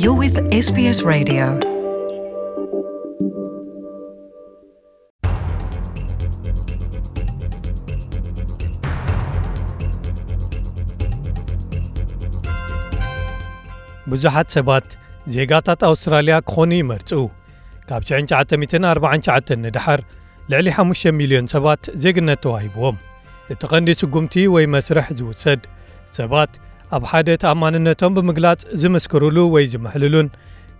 You're with S B S Radio. ብዙሓት ሰባት ዜጋታት ኣውስትራልያ ክኾኑ ይመርጹ። ካብ ሽሕን ትሽዓተ ሚእትን ኣርባዓን ትሽዓተን ንደሓር ልዕሊ ሓሙሽተ ሚልዮን ሰባት ዜግነት ተዋሂብዎም። እቲ ቀንዲ ስጉምቲ ወይ መስርሕ ዝውሰድ፣ ሰባት ኣብ ሓደ ተኣማንነቶም ብምግላጽ ዝምስክሩሉ ወይ ዝምሕልሉን፣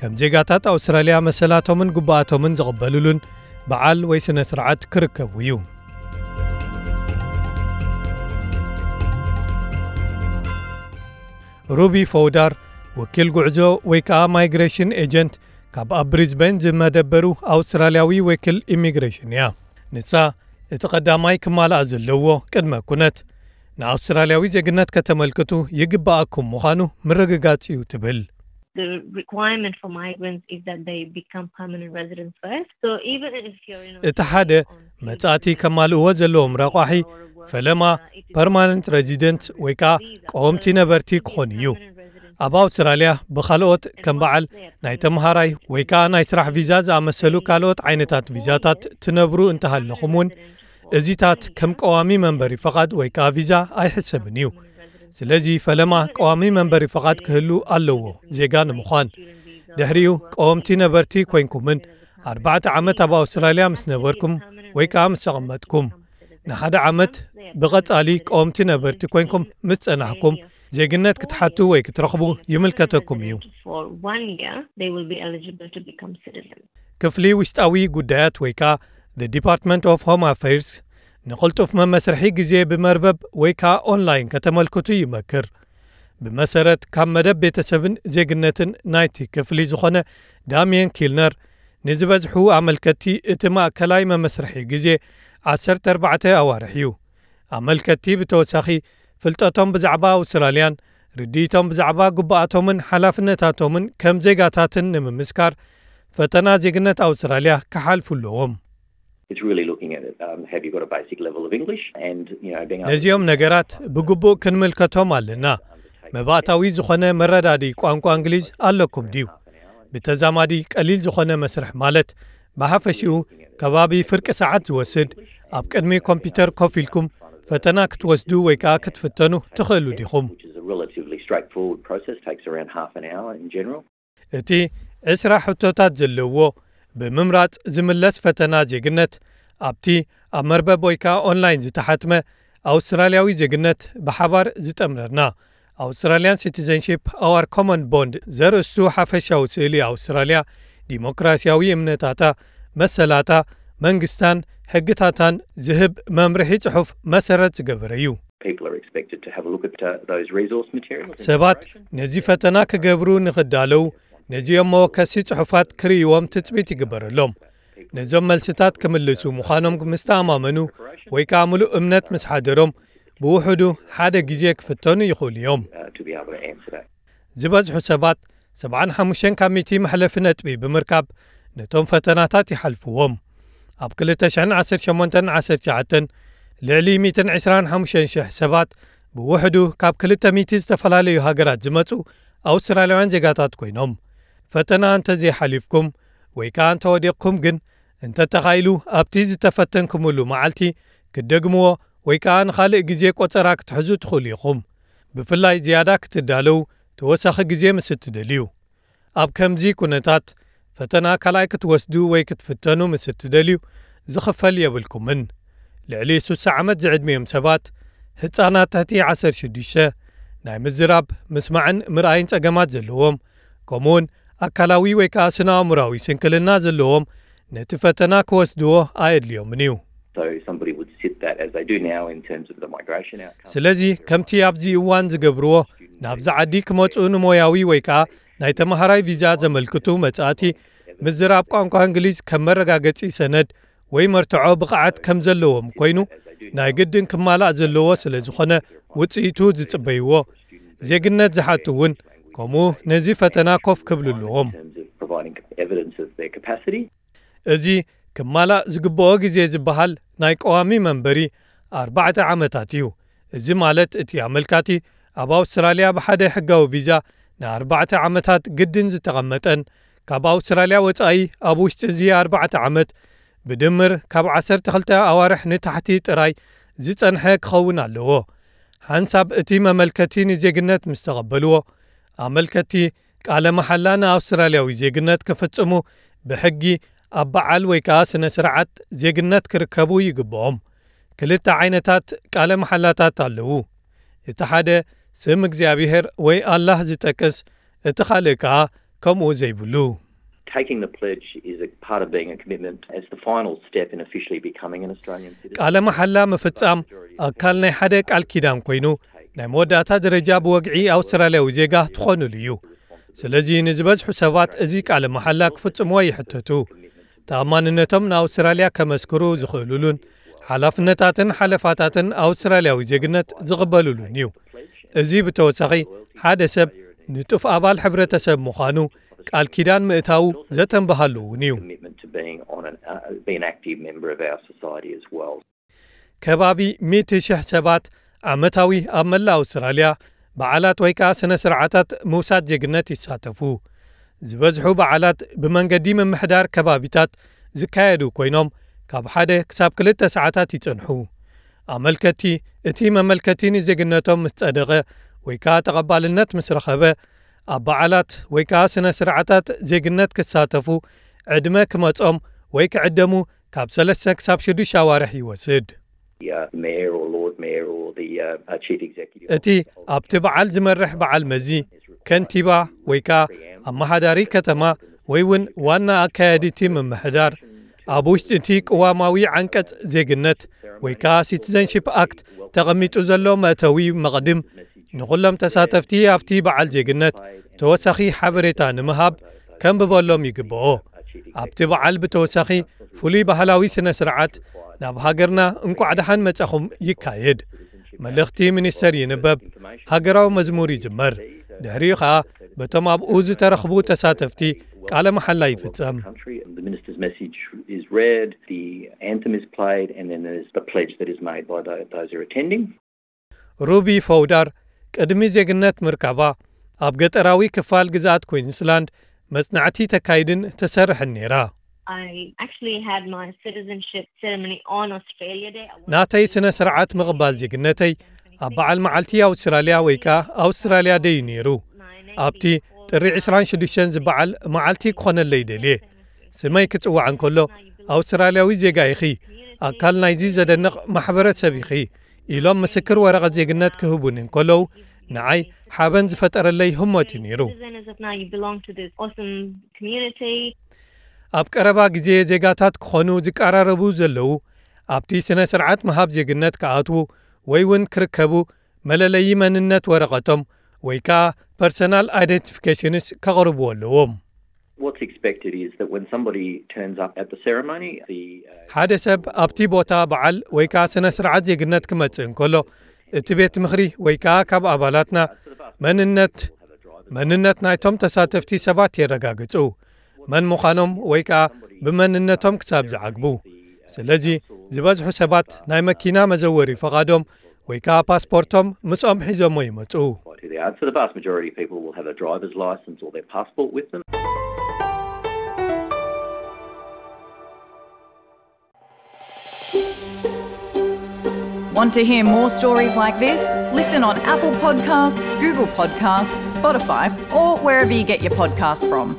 ከም ዜጋታት ኣውስትራልያ መሰላቶምን ግቡኣቶምን ዝቕበሉሉን በዓል ወይ ስነ ስርዓት ክርከቡ እዩ። ሩቢ ፈውዳር፣ ወኪል ጉዕዞ ወይ ከዓ ማይግሬሽን ኤጀንት ካብ ኣብ ብሪዝበን ዝመደበሩ ኣውስትራልያዊ ወኪል ኢሚግሬሽን እያ። ንሳ፣ እቲ ቀዳማይ ክማልኣ ዘለዎ ቅድመ ኩነት፣ ንኣውስትራልያዊ ዜግነት ከተመልክቱ ይግባኣኩም ምዃኑ ምርግጋጽ እዩ ትብል። The requirement for migrants is that they become permanent residents first. So even if you're in እቲ ሓደ Australia, መጻእቲ ከማልእዎ ዘለዎም ረቋሒ፣ ፈለማ ፐርማነንት ሬዚደንት ወይ ከዓ ቀወምቲ ነበርቲ ክኾን እዩ። ኣብ ኣውስትራልያ ብኻልኦት ከም በዓል ናይ ተምሃራይ ወይ ከዓ ናይ ስራሕ ቪዛ ዝኣመሰሉ ካልኦት ዓይነታት ቪዛታት ትነብሩ እንተሃለኹም እውን፣ እዚታት ከም ቀዋሚ መንበሪ ፈቓድ ወይ ከዓ ቪዛ ኣይሕሰብን እዩ። ስለዚ ፈለማ ቀዋሚ መንበሪ ፈቓድ ክህሉ ኣለዎ፣ ዜጋ ንምዃን። ድሕሪኡ ቀወምቲ ነበርቲ ኮይንኩምን ኣርባዕተ ዓመት ኣብ ኣውስትራልያ ምስ ነበርኩም ወይ ከዓ ምስ ተቐመጥኩም፣ ንሓደ ዓመት ብቐጻሊ ቀወምቲ ነበርቲ ኮይንኩም ምስ ጸናሕኩም፣ ዜግነት ክትሓቱ ወይ ክትረኽቡ ይምልከተኩም እዩ። For one year, they will be eligible to become citizens. ክፍሊ ውሽጣዊ ጉዳያት ወይ ከዓ The Department of Home Affairs ንቕልጡፍ መመስርሒ ግዜ ብመርበብ ወይ ከዓ ኦንላይን ከተመልክቱ ይመክር። ብመሰረት ካብ መደብ ቤተሰብን ዜግነትን ናይቲ ክፍሊ ዝኾነ ዳሚየን ኪልነር፣ ንዝበዝሑ ኣመልከትቲ እቲ ማእከላይ መመስርሒ ግዜ ዓሰርተ ኣርባዕተ ኣዋርሕ እዩ። ኣመልከትቲ ብተወሳኺ ፍልጠቶም ብዛዕባ ኣውስትራልያን ርድኢቶም ብዛዕባ ግቡኣቶምን ሓላፍነታቶምን ከም ዜጋታትን ንምምስካር ፈተና ዜግነት ኣውስትራልያ ክሓልፉ ኣለዎም። It's really looking at it. Um, have you got a basic level of English? And, you know, being able ነዚኦም ነገራት ብግቡእ ክንምልከቶም ኣለና። መባእታዊ ዝኾነ መረዳዲ ቋንቋ እንግሊዝ ኣለኩም ድዩ? ብተዛማዲ ቀሊል ዝኾነ መስርሕ ማለት ብሓፈሽኡ ከባቢ ፍርቂ ሰዓት ዝወስድ፣ ኣብ ቅድሚ ኮምፒውተር ኮፍ ኢልኩም ፈተና ክትወስዱ ወይ ከዓ ክትፍተኑ ትኽእሉ ዲኹም? Which is a relatively straightforward process, takes around half an hour in general. እቲ ዕስራ ሕቶታት ዘለዎ ብምምራጽ ዝምለስ ፈተና ዜግነት፣ ኣብቲ ኣብ መርበብ ወይ ከዓ ኦንላይን ዝተሓትመ ኣውስትራልያዊ ዜግነት ብሓባር ዝጠምረና፣ Australian Citizenship, Our Common Bond ዘርእስቱ ሓፈሻዊ ስእሊ ኣውስትራልያ፣ ዲሞክራሲያዊ እምነታታ፣ መሰላታ፣ መንግስታን ሕግታታን ዝህብ መምርሒ ጽሑፍ መሰረት ዝገበረ እዩ። People are expected to have a look at, uh, those resource materials and ሰባት preparation. ነዚ ፈተና ክገብሩ ንኽዳለዉ፣ ነዚኦም መወከሲ ጽሑፋት ክርእይዎም ትጽቢት ይግበረሎም። ነዞም መልስታት ክምልሱ ምዃኖም ምስ ተኣማመኑ ወይ ከኣ ምሉእ እምነት ምስ ሓደሮም፣ ብውሕዱ ሓደ ግዜ ክፍተኑ ይኽእሉ እዮም። Uh, to be able to answer that. ዝበዝሑ ሰባት ሰብዓን ሓሙሽተን ካብ ሚእቲ መሕለፊ ነጥቢ ብምርካብ ነቶም ፈተናታት ይሓልፍዎም። ኣብ ክልተ ሽሕን ዓሰርተ ሸሞንተን ዓሰርተ ትሽዓተን ልዕሊ ሚእትን ዕስራን ሓሙሽተን ሽሕ ሰባት ብውሕዱ ካብ ክልተ ሚእቲ ዝተፈላለዩ ሃገራት ዝመጹ ኣውስትራልያውያን ዜጋታት ኮይኖም፣ ፈተና እንተዘይሓሊፍኩም ወይ ከኣ እንተወዲቕኩም ግን፣ እንተተኻኢሉ ኣብቲ ዝተፈተንኩምሉ መዓልቲ ክትደግምዎ ወይ ከኣ ንኻልእ ግዜ ቆጸራ ክትሕዙ ትኽእሉ ኢኹም። ብፍላይ ዝያዳ ክትዳለዉ ተወሳኺ ግዜ ምስ እትደልዩ። ኣብ ከምዚ ኩነታት፣ ፈተና ካልኣይ ክትወስዱ ወይ ክትፍተኑ ምስ እትደልዩ፣ ዝኽፈል የብልኩምን። ልዕሊ ሱሳ ዓመት ዝዕድሚኦም ሰባት፣ ህጻናት ትሕቲ ዓሰርተ ሽዱሽተ፣ ናይ ምዝራብ፣ ምስማዕን ምርኣይን ጸገማት ዘለዎም፣ ከምኡውን ኣካላዊ ወይ ከኣ ስነ-ኣእምሮኣዊ ስንክልና ዘለዎም ነቲ ፈተና ክወስድዎ ኣየድልዮምን እዩ። So somebody would sit that as they do now in terms of the migration outcome. ስለዚ ከምቲ ኣብዚ እዋን ዝገብርዎ፣ ናብዚ ዓዲ ክመጹ ንሞያዊ ወይ ከኣ ናይ ተመሃራይ ቪዛ ዘመልክቱ መጻእቲ፣ ምዝራብ ቋንቋ እንግሊዝ ከም መረጋገጺ ሰነድ ወይ መርትዖ ብቕዓት ከም ዘለዎም ኮይኑ፣ ናይ ግድን ክማላእ ዘለዎ ስለ ዝኾነ፣ ውጽኢቱ ዝጽበይዎ፣ ዜግነት ዝሓቱ እውን ከምኡ ነዚ ፈተና ኮፍ ክብሉ ኣለዎም። In terms of providing evidence of their capacity. እዚ ክማላእ ዝግብኦ ግዜ ዝበሃል ናይ ቀዋሚ መንበሪ ኣርባዕተ ዓመታት እዩ። እዚ ማለት እቲ ኣመልካቲ ኣብ ኣውስትራልያ ብሓደ ሕጋዊ ቪዛ ንኣርባዕተ ዓመታት ግድን ዝተቐመጠን ካብ ኣውስትራልያ ወጻኢ ኣብ ውሽጢ እዚ ኣርባዕተ ዓመት ብድምር ካብ ዓሰርተ ክልተ ኣዋርሕ ንታሕቲ ጥራይ ዝጸንሐ ክኸውን ኣለዎ። ሓንሳብ እቲ መመልከቲ ንዜግነት ምስ ተቐበልዎ፣ ኣመልከቲ ቃለ መሓላ ንኣውስትራልያዊ ዜግነት ክፍጽሙ ብሕጊ ኣብ በዓል ወይ ከኣ ስነ ስርዓት ዜግነት ክርከቡ ይግብኦም። ክልተ ዓይነታት ቃለ መሓላታት ኣለዉ። እቲ ሓደ ስም እግዚኣብሔር ወይ ኣላህ ዝጠቅስ፣ እቲ ካልእ ከኣ ከምኡ ዘይብሉ። Taking the pledge is a part of being a commitment. It's the final step in officially becoming an Australian citizen. ቃለ መሓላ ምፍጻም ኣካል ናይ ሓደ ቃል ኪዳን ኮይኑ፣ ናይ መወዳእታ ደረጃ ብወግዒ ኣውስትራልያዊ ዜጋ ትኾኑሉ እዩ። ስለዚ ንዝበዝሑ ሰባት እዚ ቃለ መሓላ ክፍጽምዎ ይሕተቱ። ተኣማንነቶም ንኣውስትራልያ ከመስክሩ ዝኽእሉሉን ሓላፍነታትን ሓለፋታትን ኣውስትራልያዊ ዜግነት ዝቕበሉሉን እዩ። እዚ ብተወሳኺ ሓደ ሰብ ንጡፍ ኣባል ሕብረተሰብ ምዃኑ ቃል ኪዳን ምእታዉ ዘተንብሃሉ እውን እዩ። Commitment to being on an uh, be an active member of our society as well. ከባቢ ሚእቲ ሽሕ ሰባት ዓመታዊ ኣብ መላእ ኣውስትራልያ በዓላት ወይ ከኣ ስነ ስርዓታት ምውሳድ ዜግነት ይሳተፉ። ዝበዝሑ በዓላት ብመንገዲ ምምሕዳር ከባቢታት ዝካየዱ ኮይኖም ካብ ሓደ ክሳብ ክልተ ሰዓታት ይጸንሑ። ኣመልከቲ እቲ መመልከቲ ንዜግነቶም ምስ ጸደቐ ወይ ከኣ ተቐባልነት ምስ ረኸበ ኣብ በዓላት ወይ ከኣ ስነ ስርዓታት ዜግነት ክሳተፉ ዕድመ ክመጾም ወይ ክዕደሙ ካብ ሰለስተ ክሳብ ሽዱሽተ ኣዋርሕ ይወስድ። The uh, mayor or Lord Mayor or the uh, uh, Chief Executive. እቲ ኣብቲ በዓል ዝመርሕ በዓል መዚ ከንቲባ ወይ ከኣ ኣመሓዳሪ ከተማ ወይ እውን ዋና ኣካያዲቲ ምምሕዳር ኣብ ውሽጢ እቲ ቅዋማዊ ዓንቀጽ ዜግነት ወይ ከኣ ሲቲዘንሺፕ ኣክት ተቐሚጡ ዘሎ መእተዊ መቕድም ንኹሎም ተሳተፍቲ ኣብቲ በዓል ዜግነት ተወሳኺ ሓበሬታ ንምሃብ ከንብበሎም ይግብኦ። ኣብቲ በዓል ብተወሳኺ ፍሉይ ባህላዊ ስነ ስርዓት ናብ ሃገርና እንቋዕ ደሓን መጻኹም ይካየድ። መልእኽቲ ሚኒስተር ይንበብ፣ ሃገራዊ መዝሙር ይዝመር። ድሕሪኡ ኸኣ በቶም ኣብኡ ዝተረኽቡ ተሳተፍቲ ቃለ መሓላ ይፍጸም። Country. The minister's message is read, the anthem is played, and then there's the pledge that is made by tho- those who are attending. ሩቢ ፈውዳር ቅድሚ ዜግነት ምርካባ ኣብ ገጠራዊ ክፋል ግዝኣት ኩዊንስላንድ መጽናዕቲ ተካይድን ትሰርሕን ነይራ። I actually had my citizenship ceremony on Australia Day. I was ናተይ ስነ ስርዓት ምቕባል ዜግነተይ ኣብ በዓል መዓልቲ ኣውስትራልያ ወይ ከኣ ኣውስትራልያ ደይ እዩ ነይሩ። ኣብቲ ጥሪ ዕስራን ሽዱሽተን ዝበዓል መዓልቲ ክኾነለይ ደልየ። ስመይ ክጽዋዕ እንከሎ ኣውስትራልያዊ ዜጋ ኢኺ፣ ኣካል ናይዚ ዘደንቕ ማሕበረሰብ ኢኺ ኢሎም ምስክር ወረቐት ዜግነት ክህቡኒ እንከለዉ ንዓይ ሓበን ዝፈጠረለይ ህሞት እዩ ነይሩ። Citizen is that now you belong to this awesome community. ኣብ ቀረባ ግዜ ዜጋታት ክኾኑ ዝቀራረቡ ዘለዉ ኣብቲ ስነ ስርዓት ምሃብ ዜግነት ክኣትዉ ወይ እውን ክርከቡ መለለዪ መንነት ወረቐቶም ወይ ከኣ ፐርሰናል ኣይደንቲፊኬሽንስ ከቕርቡ ኣለዎም። What's expected is that when somebody turns up at the ceremony, the uh, ሓደ ሰብ ኣብቲ ቦታ በዓል ወይ ከኣ ስነ ስርዓት ዜግነት ክመጽእ እንከሎ እቲ ቤት ምኽሪ ወይ ከኣ ካብ ኣባላትና መንነት መንነት ናይቶም ተሳተፍቲ ሰባት የረጋግጹ፣ መን ምዃኖም ወይ ከኣ ብመንነቶም ክሳብ ዝዓግቡ። ስለዚ ዝበዝሑ ሰባት ናይ መኪና መዘወሪ ፈቓዶም ወይ ከኣ ፓስፖርቶም ምስኦም ሒዞሞ ይመጹ። So the vast majority of people will have a driver's license or their passport with them. Want to hear more stories like this? Listen on Apple Podcasts, Google Podcasts, Spotify, or wherever you get your podcasts from.